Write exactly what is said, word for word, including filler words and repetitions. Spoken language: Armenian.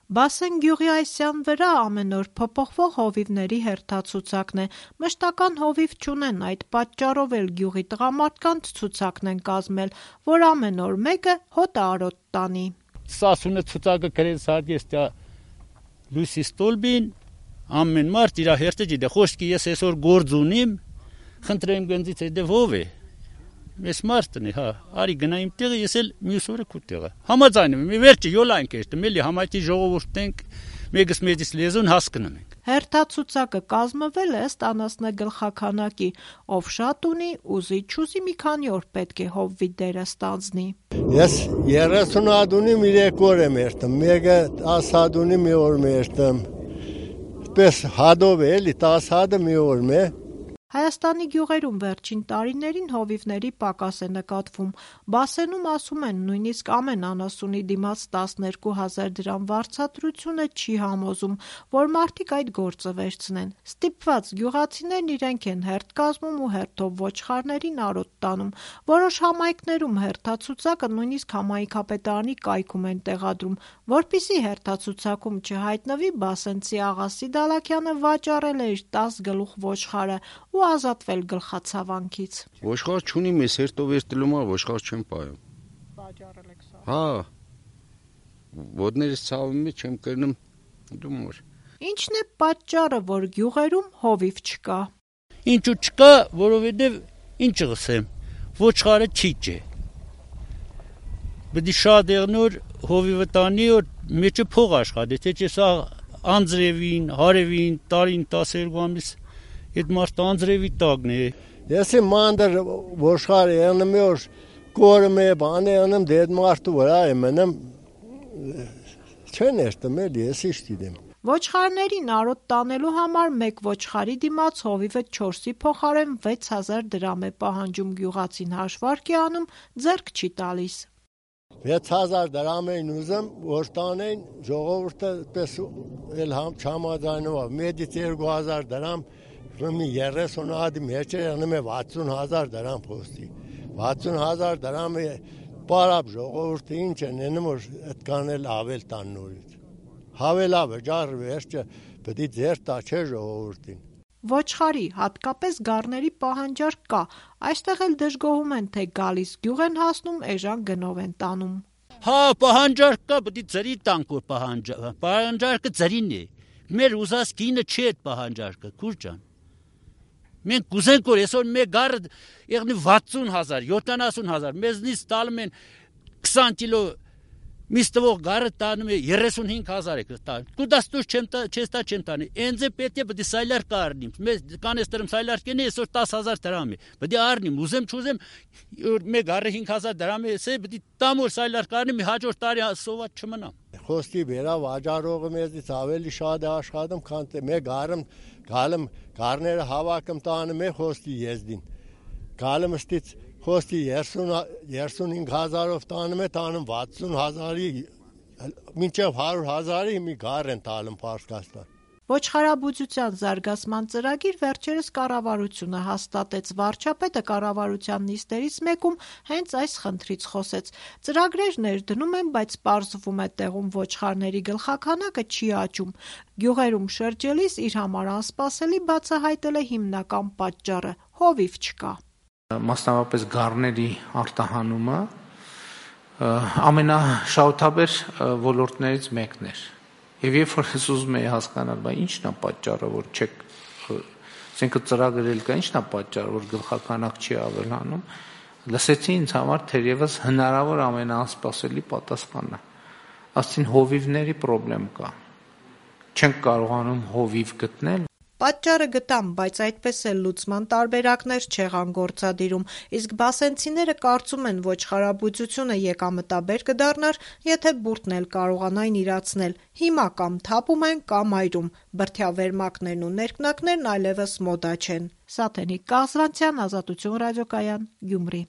Բասեն գյուղի Այսյան վրա ամեն օր փոփոխվող հովիվների հերթացուցակն է, մշտական հովիվ չունեն, այդ պատճառով էլ գյուղի տղամարդկանց ցուցակն են կազմել, որ ամեն օր մեկը հոտը արոտ տանի։ Սասունը ցուցակը գրեց հարգեստյա լույսի ստոլբին, ամեն մարդ իր հերթը ջիդե, խոսքի ես այսօր գործ ունիմ, խնդրեմ գնձից է դե ով է։ Ես մարդն է, հա, արի գնա իմ տեղը, ես էլ մյուս օրը քու տեղը։ Համաձայնում եմ, վերջը յոլանք է, մելի համայնքի ժողովուրդն ենք, մեկս մեծից լեզուն հասկանում ենք։ Հերթացուցակը կազմվել է ըստ անասնագլխաքանակի, ով շատ ունի, ուզի չուզի մի քանի օր պետք է հովվի դերը ստանձնի։ Ես երեսուն հատ ունիմ, երեք օր եմ երթում, մեկը տասը հատ ունի մի օր եմ երթում։ Պես հադով է, էլի տասը հատը մի օր է։ Հայաստանի գյուղերում վերջին տարիներին հովիվների պակաս է նկատվում։ Բասենում ասում են, նույնիսկ ամեն անասունի դիմաց տասներկու հազար դրամ վարձատրությունը չի համոզում, որ մարդիկ այդ գործը վերցնեն։ Ստիպված գյուղացիներն իրենք են հերթ կազմում ու հերթով ոչխարներին արոտ տանում։ Որոշ համայնքներում հերթացուցակը նույնիսկ համայնքապետարանի կայքում են տեղադրում, որպեսզի հերթացուցակում չհայտնվի Բասենցի աղա Սիդալաքյանը վաճառել է իր տասը գլուխ ոչխարը ու ազատվել գլխացավանքից։ Ոչխար չունիմ, ես հերթով երթելու մա ոչխար չեմ պայում։ Վաճառել եք սա։ Հա։ Ոտներս ցավում է, չեմ կրնում դումոր։ Ինչն է պատճառը, որ գյուղերում հովիվ չկա։ Ինչու չկա, որովհետև ինչ ասեմ, ոչխարը չիջ է։ Բդի շատ եղնոր հովիվը տանի որ մեջը փող աշխատի, թե չէ սա անձրևին, հարևին, տարին տասներկու ամիս Այդ մարդ անձրևի տակն է։ Ես իմ մանդր ոչխար եղնում է, որ կորում է, բան է անում, դեդ մարդու վրա եմ մնում, չեն երթում էլի, ես իշտ գիտեմ։ Ոչխարներին արոտ տանելու համար մեկ ոչխարի դիմաց հովիվը չորսի փոխարեն վեց հազար դրամ է պահանջում, գյուղացին հաշվարկ է անում, ձեռք չի տալիս։ վեց հազար դրամ էին ուզում, որ տանեին ժողովուրդը պես էլ չհամաձայնվավ, մեդից երկու հազար դրամ Մի երեսուն հատի մեջ է եղնում է վաթսուն հազար դրամ խոստի։ վաթսուն հազար դրամ է պարապ ժողովուրդը ինչ են ենում, որ այդքան էլ ավել տան նորից։ Հավելա վճար վերջը պետք է ձեր տա չէ ժողովուրդին։ Ոչխարի, հատկապես գառների պահանջարկ կա, այստեղ էլ դժգոհում են, թե գալիս գյուղ են հասնում, էժան գնով են տանում։ Հա, պահանջարկ կա, պետք է ձրի տանք որ պահանջարկը, պահանջարկը ձրին է։ Մեր ուզած կինը չի այդ պահանջարկը, քուր ջան։ Մենք կուզենք որ այսօր մեկ գառը եղնի վաթսուն հազար, յոթանասուն հազար, մեզնից տալում են քսան կիլո միս տվող գառը տանում է երեսունհինգ հազար է կտա։ Դու դաստուր չեմ տա, չես տա չեմ տանի։ Ինձ է պետք է պետք է սայլար կառնիմ։ Մեզ կանեստրում սայլար կենի այսօր տասը հազար դրամ է։ Պետք է առնիմ, ուզեմ չուզեմ մեկ գառը հինգ հազար դրամ է, էսե պետք է տամ որ սայլար կառնիմ, հաջորդ տարի սոված չմնամ։ Խոսքի վերա վաճառողը մեզից ավելի շատ է աշխատում, քան մեկ գառը գալım գառները հավաքում տանում է խոսքի եզդին։ Գալım ըստից խոսքի երեսունհինգ հազարով տանում է, տանում վաթսուն հազարի, մինչև հարյուր հազարի մի գառ են տալում Պարսկաստան։ Ոչխարաբուծության զարգացման ծրագիր վերջերս կառավարությունը հաստատեց, վարչապետը կառավարության նիստերից մեկում հենց այս խնդրից խոսեց։ Ծրագրեր ներդնում են, բայց պարզվում է տեղում ոչխարների գլխաքանակը չի աճում։ Գյուղերում շրջելիս իր համար անսպասելի բացահայտել է հիմնական պատճառը՝ հովիվ չկա։ Մասնավորապես գառների արտահանումը ամենաշահութաբեր ոլորտներից մեկն էր։ Եվ երբ որ ես ուզում եի հասկանալ, բա ի՞նչն է պատճառը, որ չեք, ասենք ծրագրել կա, ի՞նչն է պատճառը, որ գլխականակ չի ավելանում, լսեցի ինձ համար թերևս հնարավոր ամենաանսպասելի պատասխանը։ Ասեցին հովիվների խնդրեմ կա։ Չենք կարողանում հովիվ գտնել։ Պատճառը գտամ, բայց այդպես էլ լուծման տարբերակներ չեղան գործադիրում, իսկ բասենցիները կարծում են ոչխարաբուծությունը եկամտաբեր կդառնար, եթե բուրդն էլ կարողանային իրացնել։ Հիմա կամ թափում են, կամ այրում, բրդյավերմակներն ու ներքնակներն այլևս մոդա չեն։ Սաթենիկ Կազրանցյան, Ազատություն ռադիոկայան, Գյումրի։